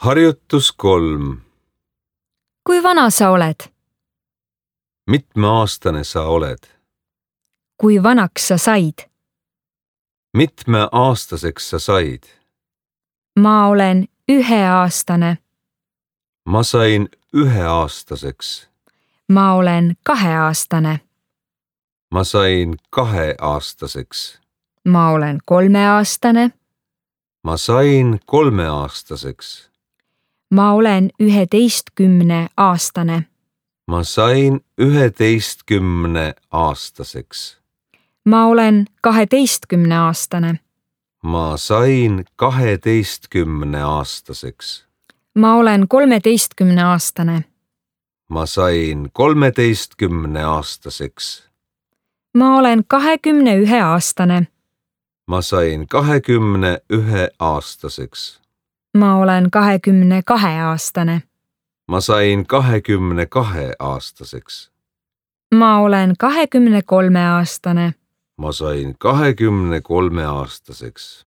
Harjutus 3. Kui vana sa oled? Mitmeaastane sa oled? Kui vanaks sa said? Mitmeaastaseks sa said? Ma olen 1-aastane. Ma sain 1-aastaseks. Ma olen 2-aastane. Ma sain 2-aastaseks. Ma olen 3-aastane. Ma sain 3-aastaseks. Ma olen 11-aastane. Ma sain 11-aastaseks. Ma olen 12-aastane. Ma sain 12-aastaseks. Ma olen 13-aastane. Ma sain 13-aastaseks. Ma olen 21-aastane. Ma sain 21-aastaseks. Ma olen 22-aastane. Ma sain 22-aastaseks. Ma olen 23-aastane. Ma sain 23-aastaseks.